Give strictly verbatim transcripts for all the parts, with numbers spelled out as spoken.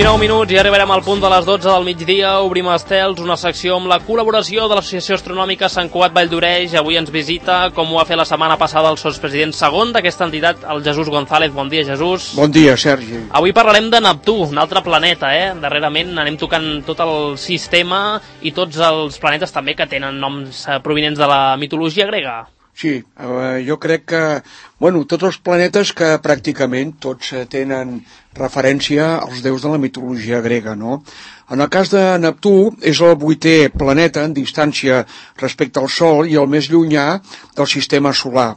dinou minuts i arribarem al punt de les dotze del migdia. Obrim estels, una secció amb la col·laboració de l'Associació Astronòmica Sant Cugat Valldoreix. Avui ens visita, com ho va fer la setmana passada, el sotspresident segon d'aquesta entitat, el Jesús González. Bon dia, Jesús. Bon dia, Sergi. Avui parlarem de Neptú, un altre planeta, eh? Darrerament anem tocant tot el sistema i tots els planetes també que tenen noms provinents de la mitologia grega. Sí, eh, jo crec que, bueno, tots els planetes que pràcticament tots tenen referència als déus de la mitologia grega, no? En el cas de Neptú, és el vuitè planeta en distància respecte al Sol i el més llunyà del sistema solar.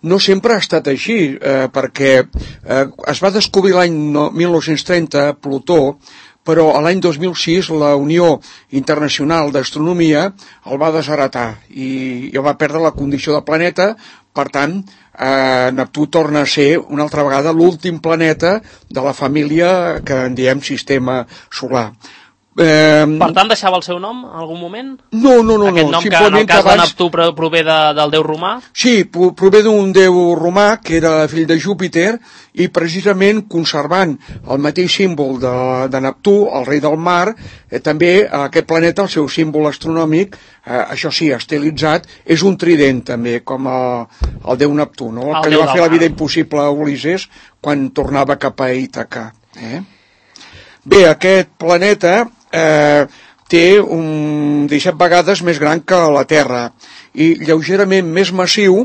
No sempre ha estat així, eh, perquè eh, es va descobrir l'any mil nou-cents trenta Plutó, però a l'any dos mil sis la Unió Internacional d'Astronomia el va desheretar i, i el va perdre la condició de planeta. Per tant, eh, Neptú torna a ser una altra vegada l'últim planeta de la família que en diem sistema solar. Eh, per tant, deixava el seu nom en algun moment? No, no, no. Aquest no. nom que en el cas abans... de Neptú prové de, del déu romà? Sí, prové d'un déu romà que era fill de Júpiter i precisament conservant el mateix símbol de, de Neptú, el rei del mar, eh, també aquest planeta, el seu símbol astronòmic, eh, això sí, estilitzat, és un trident també, com el, el déu Neptú, no? El, el que li va fer la vida impossible a Ulisses quan tornava cap a Ítaca. Eh? Bé, aquest planeta eh, té un disset vegades més gran que la Terra i lleugerament més massiu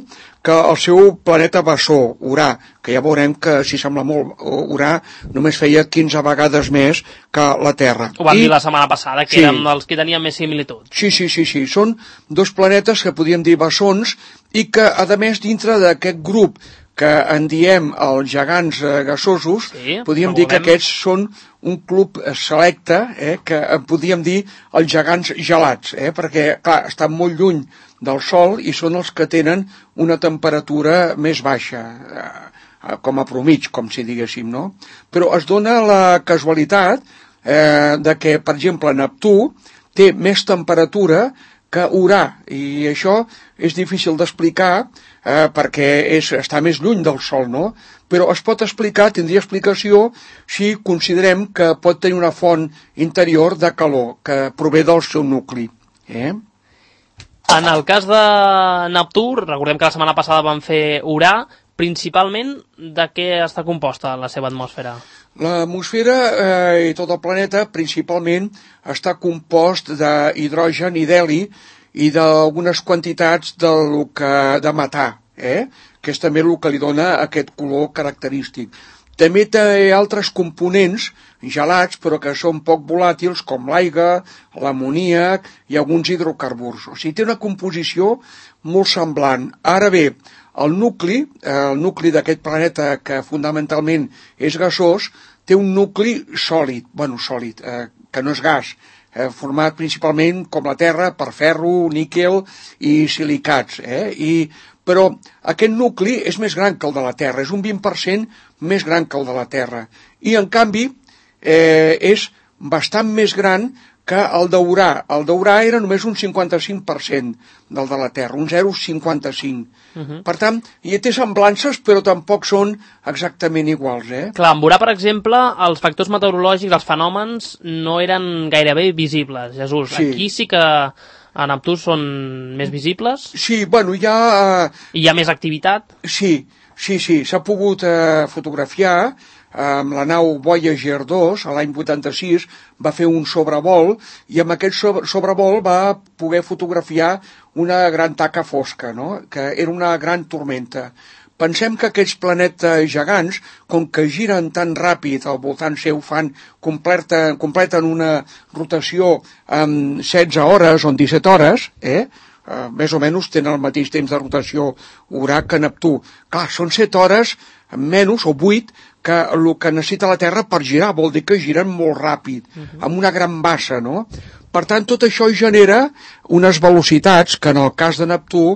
que el seu planeta bessó, Urà, que ja veurem que, si sembla molt, Urà només feia quinze vegades més que la Terra. Ho vam I... dir la setmana passada, que sí. Eren els que tenien més similitud. Sí, sí, sí, sí. Són dos planetes que podíem dir bessons i que, a més, dintre d'aquest grup que en diem els gegants eh, gasosos, sí, podríem dir que aquests són un club selecte, eh, que podríem dir els gegants gelats, eh, perquè, clar, estan molt lluny del Sol i són els que tenen una temperatura més baixa, eh, com a promig, com si diguéssim, no? Però es dona la casualitat eh, de que, per exemple, Neptú té més temperatura que Urà, i això és difícil d'explicar eh, perquè és, està més lluny del Sol, no? Però es pot explicar, tindria explicació, si considerem que pot tenir una font interior de calor que prové del seu nucli. Eh? En el cas de Neptú, recordem que la setmana passada van fer Urà, principalment de què està composta la seva atmosfera? L'atmosfera eh, i tot el planeta principalment està compost d'hidrogen i d'heli i d'algunes quantitats de, que, de metà, eh? que és també el que li dona aquest color característic. També té altres components gelats, però que són poc volàtils, com l'aigua, l'amoníac i alguns hidrocarburs. O sigui, té una composició molt semblant. Ara bé, el nucli, el nucli d'aquest planeta, que fonamentalment és gasós, té un nucli sòlid, bueno, sòlid, eh, que no és gas, eh, format principalment, com la Terra, per ferro, níquel i silicats. Eh? I, però aquest nucli és més gran que el de la Terra, és un vint per cent més gran que el de la Terra. I, en canvi, eh, és bastant més gran que el d'Urà. El d'Urà era només un cinquanta-cinc per cent del de la Terra, un zero coma cinquanta-cinc. Uh-huh. Per tant, hi té semblances, però tampoc són exactament iguals. Eh? Clar, en Urà, per exemple, els factors meteorològics, els fenòmens, no eren gairebé visibles, Jesús. Sí. Aquí sí que a Neptú són més visibles? Sí, bueno, hi ha... Uh... I hi ha més activitat? Sí, sí, sí, s'ha pogut uh, fotografiar. Amb la nau Voyager dos, a l'any vuitanta-sis, va fer un sobrevol i amb aquest sobrevol va poder fotografiar una gran taca fosca, no? Que era una gran tormenta. Pensem que aquests planetes gegants, com que giren tan ràpid al voltant seu, fan, completen, completen una rotació en setze hores o en disset hores, eh? Uh, més o menys tenen el mateix temps de rotació Urà que Neptú. Clar, són set hores menys o vuit que el que necessita la Terra per girar, vol dir que giren molt ràpid, uh-huh. amb una gran bassa, no? Per tant, tot això genera unes velocitats que en el cas de Neptú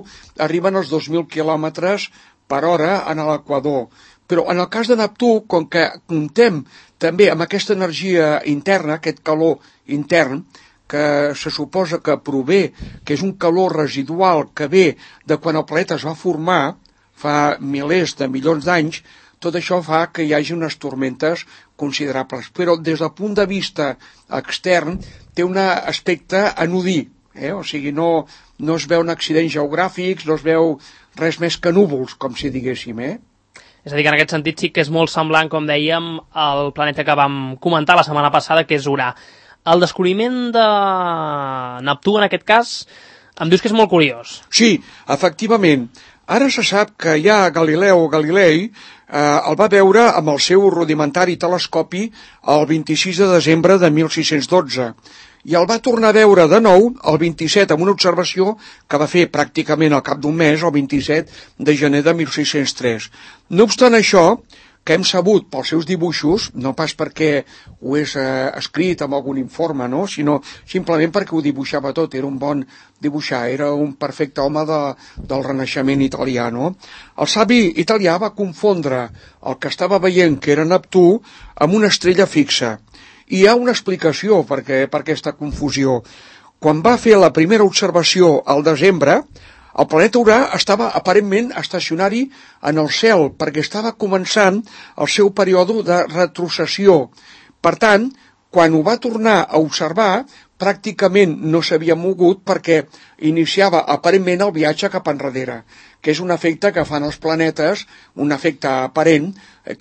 arriben als dos mil quilòmetres per hora en l'equador. Però en el cas de Neptú, com que comptem també amb aquesta energia interna, aquest calor intern, que se suposa que prové, que és un calor residual que ve de quan el planeta es va formar, fa milers de milions d'anys, tot això fa que hi hagi unes tormentes considerables, però des del punt de vista extern té un aspecte anodí, eh? O sigui, no, no es veuen accidents geogràfics, no es veu res més que núvols, com si diguéssim, eh? És a dir, que en aquest sentit sí que és molt semblant, com dèiem, al planeta que vam comentar la setmana passada, que és Urà. El descobriment de Neptú, en aquest cas, em dius que és molt curiós. Sí, efectivament. Ara se sap que ja Galileu Galilei eh, el va veure amb el seu rudimentari telescopi el vint-i-sis de desembre de mil sis-cents dotze i el va tornar a veure de nou el vint-i-set amb una observació que va fer pràcticament al cap d'un mes, el vint-i-set de gener de mil sis-cents tres. No obstant això, que hem sabut pels seus dibuixos, no pas perquè ho és eh, escrit en algun informe, no? Sinó simplement perquè ho dibuixava tot, era un bon dibuixar, era un perfecte home de, del Renaixement italià, no? El savi italià va confondre el que estava veient, que era Neptú, amb una estrella fixa. I hi ha una explicació per, què, per aquesta confusió. Quan va fer la primera observació al desembre, el planeta Urà estava aparentment estacionari en el cel perquè estava començant el seu període de retrocessió. Per tant, quan ho va tornar a observar, pràcticament no s'havia mogut perquè iniciava aparentment el viatge cap enrere, que és un efecte que fan els planetes, un efecte aparent,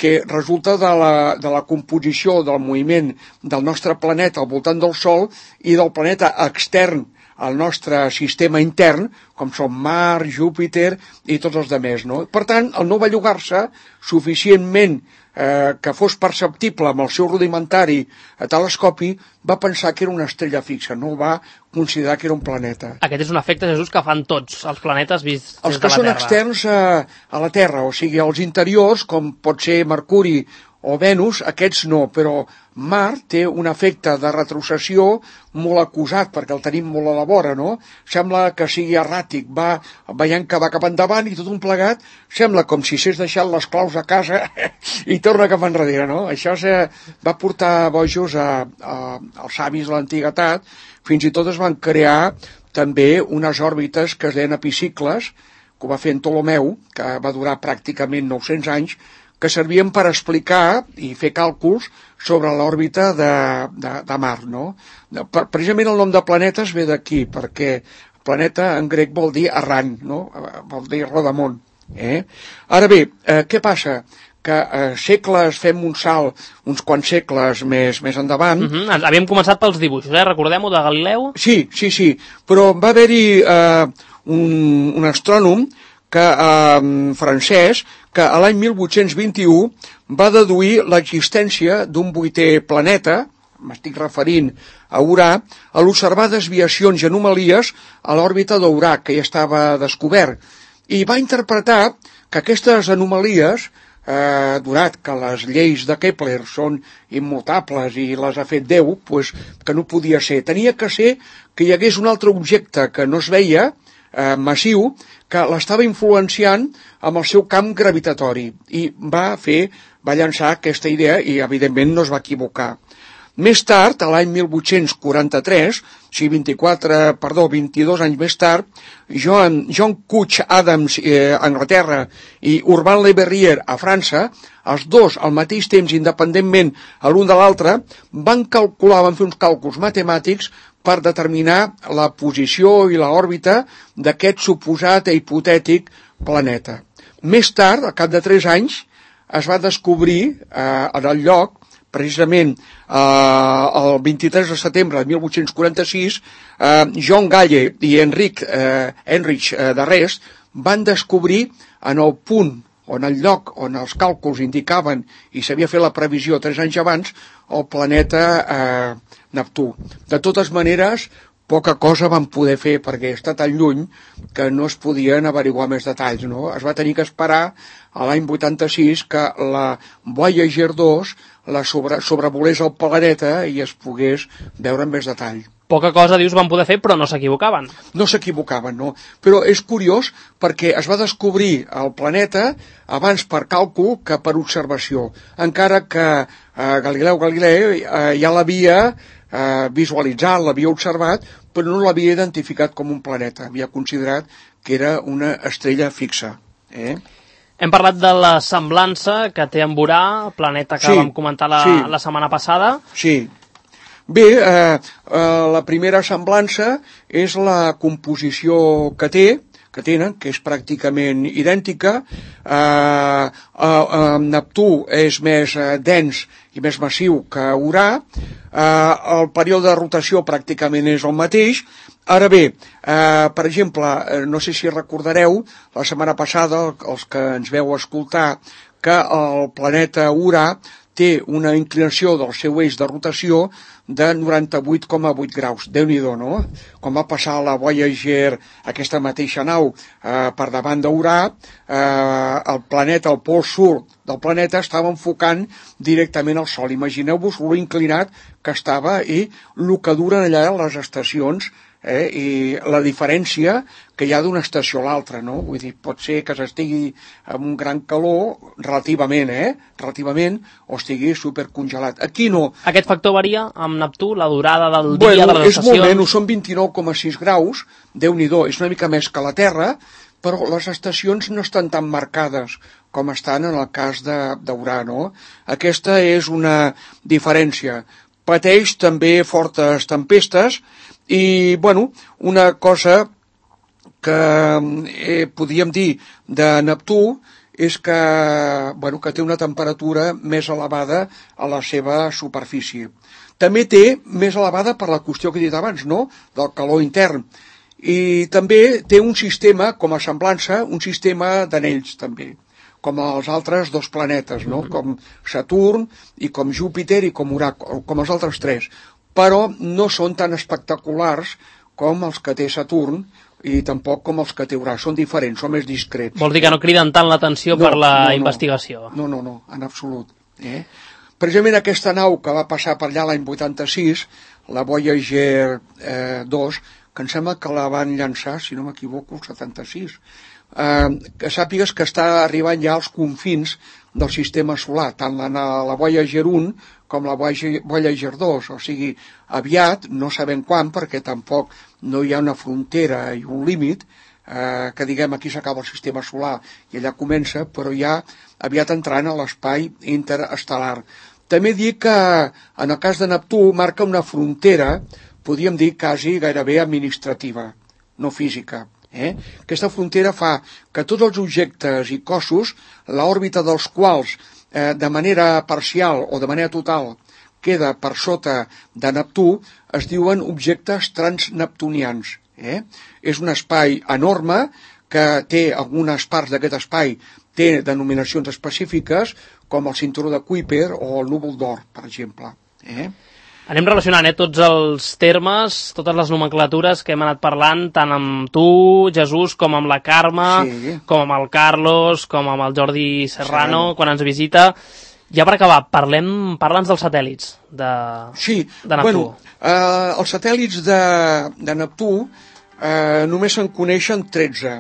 que resulta de la, de la composició del moviment del nostre planeta al voltant del Sol i del planeta extern al nostre sistema intern, com són Mart, Júpiter i tots els demés, no? Per tant, el no bellugar-se suficientment eh, que fos perceptible amb el seu rudimentari telescopi, va pensar que era una estrella fixa, no va considerar que era un planeta. Aquest és un efecte, Jesús, que fan tots els planetes vists des de la Terra. Els que són externs a, a la Terra, o sigui, els interiors, com pot ser Mercuri o Venus, aquests no, però Mart té un efecte de retrocessió molt acusat, perquè el tenim molt a la vora, no? Sembla que sigui erràtic, va veient que va cap endavant i tot un plegat, sembla com si s'hagués deixat les claus a casa i torna cap enrere, no? Això se va portar bojos a, a, als savis de l'antiguitat, fins i tot es van crear també unes òrbites que es deien epicicles, que ho va fer en Ptolomeu, que va durar pràcticament nou-cents anys, que servien per explicar i fer càlculs sobre l'òrbita de, de, de Mart, no? Precisament el nom de planetes ve d'aquí, perquè planeta en grec vol dir errant, no? Vol dir rodamont. Eh? Ara bé, eh, què passa? Que eh, segles, fem un salt, uns quants segles més, més endavant... Uh-huh. Havíem començat pels dibuixos, eh? Recordem-ho, de Galileu? Sí, sí, sí, però va haver-hi eh, un, un astrònom que, eh, francès, que a l'any mil vuit-cents vint-i-u va deduir l'existència d'un vuitè planeta, m'estic referint a Urà, a l'observar desviacions i anomalies a l'òrbita d'Urà, que ja estava descobert, i va interpretar que aquestes anomalies, eh, donat que les lleis de Kepler són immutables i les ha fet Déu, pues, que no podia ser. Tenia que ser que hi hagués un altre objecte que no es veia, eh, massiu, que l'estava influenciant amb el seu camp gravitatori i va fer, va llançar aquesta idea i evidentment no es va equivocar. Més tard, a l'any mil vuit-cents quaranta-tres, o sigui, vint-i-quatre, perdó, vint-i-dos anys més tard, John, John Couch Adams eh, a Anglaterra i Urbain Le Verrier a França, els dos al mateix temps, independentment a l'un de l'altre, van calcular, van fer uns càlculs matemàtics per determinar la posició i l'òrbita d'aquest suposat i hipotètic planeta. Més tard, al cap de tres anys, es va descobrir eh, en el lloc, precisament eh, el vint-i-tres de setembre de mil vuit-cents quaranta-sis, eh, John Galle i Enric, eh, Heinrich eh, de Rest van descobrir en el punt o en el lloc on els càlculs indicaven i s'havia fet la previsió tres anys abans, el planeta eh, Neptú. De totes maneres, poca cosa van poder fer perquè està tan lluny que no es podien averiguar més detalls, no? Es va tenir que esperar a l'any vuitanta-sis que la Voyager dos la sobre, sobrevolés el planeta i es pogués veure amb més detall. Poca cosa, dius, van poder fer, però no s'equivocaven. No s'equivocaven, no. Però és curiós perquè es va descobrir el planeta abans per càlcul que per observació, encara que eh, Galileu Galilei eh, ja l'havia eh, visualitzat, l'havia observat, però no l'havia identificat com un planeta, havia considerat que era una estrella fixa. Eh? Hem parlat de la semblança que té amb Urà, el planeta que sí, vam comentar la, sí. la setmana passada. Sí. Bé, eh, eh, la primera semblança és la composició que té, que tenen, que és pràcticament idèntica. Eh, eh, eh, Neptú és més eh, dens i més massiu que Urà. Eh, el període de rotació pràcticament és el mateix. Ara bé, eh, per exemple, no sé si recordareu, la setmana passada, els que ens veu escoltar, que el planeta Urà té una inclinació del seu eix de rotació de noranta-vuit coma vuit graus. Déu-n'hi-do, no? Quan va passar la Voyager, aquesta mateixa nau, eh, per davant d'Urà, eh, el planeta, el pol sud del planeta, estava enfocant directament al Sol. Imagineu-vos lo inclinat que estava i el que duren allà les estacions, eh, i la diferència que hi ha d'una estació a l'altra, no? Vull dir, pot ser que s'estigui amb un gran calor, relativament, eh? Relativament, o estigui supercongelat. Aquí no. Aquest factor varia amb Neptú, la durada del bueno, dia, de les és estacions? molt menys, són vint-i-nou coma sis graus, Déu-n'hi-do, és una mica més que la Terra, però les estacions no estan tan marcades com estan en el cas d'Urà, no? Aquesta és una diferència. Pateix també fortes tempestes i, bueno, una cosa que eh, podríem dir de Neptú és que, bueno, que té una temperatura més elevada a la seva superfície. També té més elevada per la qüestió que he dit abans, no?, del calor intern. I també té un sistema, com a semblança, un sistema d'anells, també, com els altres dos planetes, no?, com Saturn i com Júpiter i com Urà, com els altres tres. Però no són tan espectaculars com els que té Saturn i tampoc com els que té Urà. Són diferents, són més discrets. Vols dir que no criden tant l'atenció no, per la no, no. investigació? No, no, no, en absolut. Eh? Precisament aquesta nau que va passar per allà l'any vuitanta-sis, la Voyager eh, dos, que em sembla que la van llançar, si no m'equivoco, el setanta-sis, eh, que sàpigues que està arribant ja als confins del sistema solar, tant la, la Voyager un com la Voyager dos, o sigui, aviat, no sabem quan, perquè tampoc no hi ha una frontera i un límit, eh, que diguem aquí s'acaba el sistema solar i allà comença, però ja aviat entrant a l'espai interestel·lar. També dir que en el cas de Neptú marca una frontera, podríem dir quasi gairebé administrativa, no física. Eh? Aquesta frontera fa que tots els objectes i cossos, l'òrbita dels quals eh, de manera parcial o de manera total queda per sota de Neptú, es diuen objectes transneptunians. Eh? És un espai enorme que té algunes parts d'aquest espai té denominacions específiques com el cinturó de Kuiper o el núvol d'or, per exemple. Eh? Anem relacionant eh, tots els termes, totes les nomenclatures que hem anat parlant, tant amb tu, Jesús, com amb la Carme, sí. com amb el Carlos, com amb el Jordi Serrano, sí. quan ens visita. Ja per acabar, parlem, parla'ns dels satèl·lits de, sí. de Neptú. Bueno, eh, els satèl·lits de, de Neptú eh, només se'n coneixen tretze,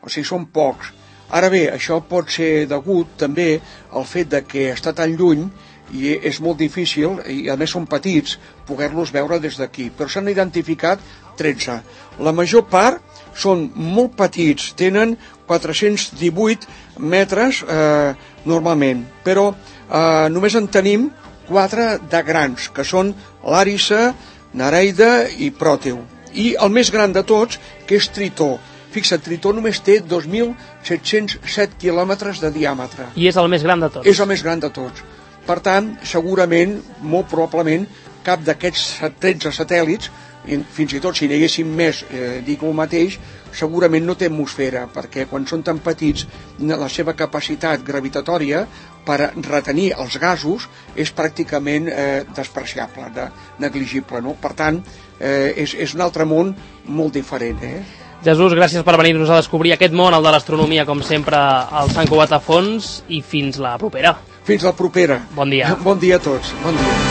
o sigui, són pocs. Ara bé, això pot ser degut també al fet de que està tan lluny i és molt difícil, i a més són petits, poder-los veure des d'aquí. Però s'han identificat tretze. La major part són molt petits, tenen quatre-cents divuit metres eh, normalment, però eh, només en tenim quatre de grans, que són l'Àrissa, Nereida i Pròteu. I el més gran de tots, que és Tritó. Fixa't, Tritó només té dos mil set-cents set quilòmetres de diàmetre. I és el més gran de tots. És el més gran de tots. Per tant, segurament, molt probablement, cap d'aquests tretze satèl·lits, fins i tot si n'hi haguessin més, eh, dic el mateix, segurament no té atmosfera, perquè quan són tan petits, la seva capacitat gravitatòria per retenir els gasos és pràcticament eh, despreciable, de, negligible, no? Per tant, eh, és, és un altre món molt diferent, eh? Jesús, gràcies per venir-nos a descobrir aquest món, el de l'astronomia, com sempre, al Sant Cugat a Fons, i fins la propera. Fins la propera. Bon dia. Bon dia a tots. Bon dia.